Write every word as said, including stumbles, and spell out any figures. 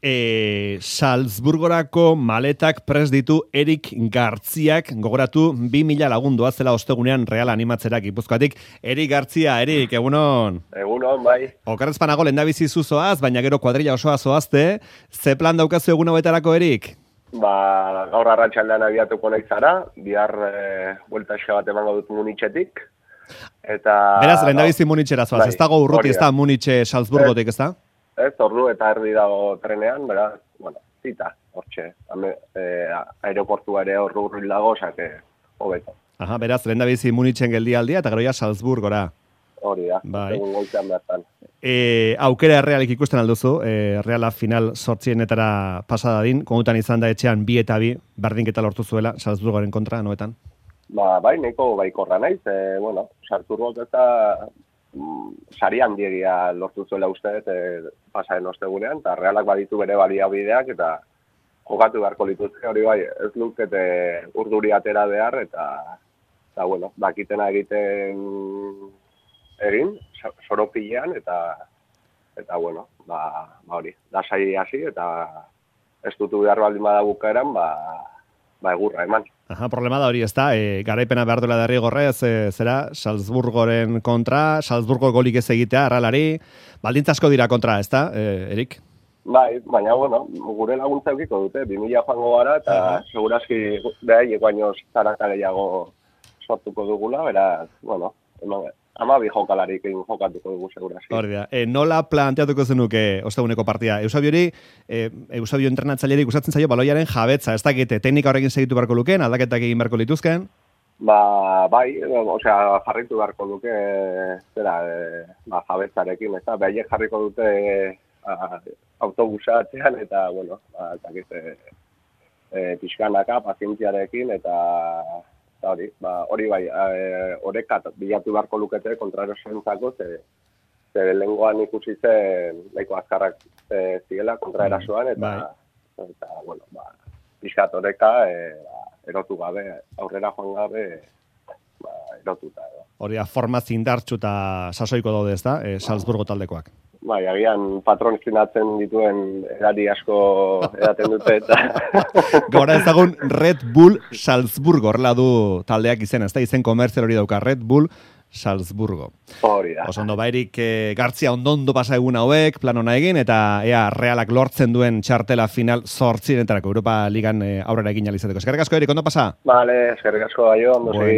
E, Salzburgorako maletak prest ditu Erik Gartziak, gogoratu bi mila lagundu zela ostegunean Real animatzerak Gipuzkoatik. Erik Gartzia, Erik, egunon. Egunon, bai. Okerrezpanago lehendabizi zuzoaz, baina gero kuadrilla osoa zoazte. Ze plan daukazu egun hauetarako, Erik? Ba, gaur arratsaldean abiatuko nahi zara, bihar e, buelta eska bat emango dut Munitxetik. Eta... Beraz, lehendabizi Munitxera zoaz, bai, ez dago urruti, ez da Munitxe Salzburgotik, ez da? Ez, ordu eta erdi dago trenean, beraz, bueno, zita, hortxe. E, aeroportua ere horru urril dago, osake, hobeto. Aha, beraz, lehendabizi Munitxen geldialdia, eta gero ja Salzburgora. Hori da, bai. Egun goizean bertan. E, aukera errealik ikusten alduzu, e, Reala final sortzienetara pasada din, komutan izan da etxean bi eta bi, berdinketa lortu zuela, Salzburgoren kontra, noetan? Ba, bai, neko baikorra naiz, e, bueno, Salzburgok eta mm, sari handiegia lortu zuela uste, e, pasaren ostegunean, eta Realak baditu bere baliabideak, eta jokatu beharko lituzke, hori bai, ez lukete urduri atera behar, eta, eta bueno, bakitena egiten egin, soropilean, eta, eta bueno, ba, ba hori, lasai hasi, eta ez dutu behar baldin bada bukaeran, ba, ba egurra eman. Aha, problema da hori ez da, e, garaipena behar duela derrigorrez, e, zera, Salzburgoren kontra, Salzburgo golik ez egitea, arralari, baldintza asko dira kontra, ez da, e, Erik? Bai, baina, bueno, gure laguntza eukiko dute, bi mila joango gara, eta uh-huh. segurazki behaiek baino zarata gehiago sortuko dugula, beraz, bueno, eman, ama bi jokalarik egin jokatuko dugu segurazki. Hori da, e, nola planteatuko zenuke osteguneko partida? Eusabiori, e, Eusabio entrenatzaileari gustatzen zaio baloiaren jabetza, ez dakite, teknika horrekin segitu beharko lukeen, aldaketak egin beharko lituzken? Ba, bai, osea, jarritu beharko duke, zera, e, ba, jabetzarekin, ez da, behaiek jarriko dute a, autobusa atzean, eta, bueno, ba, dakite, e, pixkanaka, pazientziarekin, eta... Eta hori, ba, hori bai, orekat bilatu beharko lukete kontraerosentzako, ze, ze lengoan ikusi zen nahiko azkarrak e, zigela kontraerasoan, eta, bai. eta bueno, ba, pixkat oreka e, ba, erotu gabe, aurrera joan gabe, ba, erotuta. Edo. Hori da, forma zindartxu eta sasoiko daude ez da, e, Salzburgo taldekoak. Bai, agian patron zinatzen dituen erari asko edaten dute, eta... Gora ezagun Red Bull Salzburgo, horrela du taldeak izen, ez da, izen komerzial hori dauka, Red Bull Salzburgo. Hori da. Osondo, bairik e, Gartzia ondondo pasa egun hauek, plan hona egin, eta ea Realak lortzen duen txartela final zortzirenetarako Europa Ligan e, aurrera egin alizateko. Eskerrik asko, Erik, ondo pasa? Vale, eskerrik asko, aio, ondo bueno.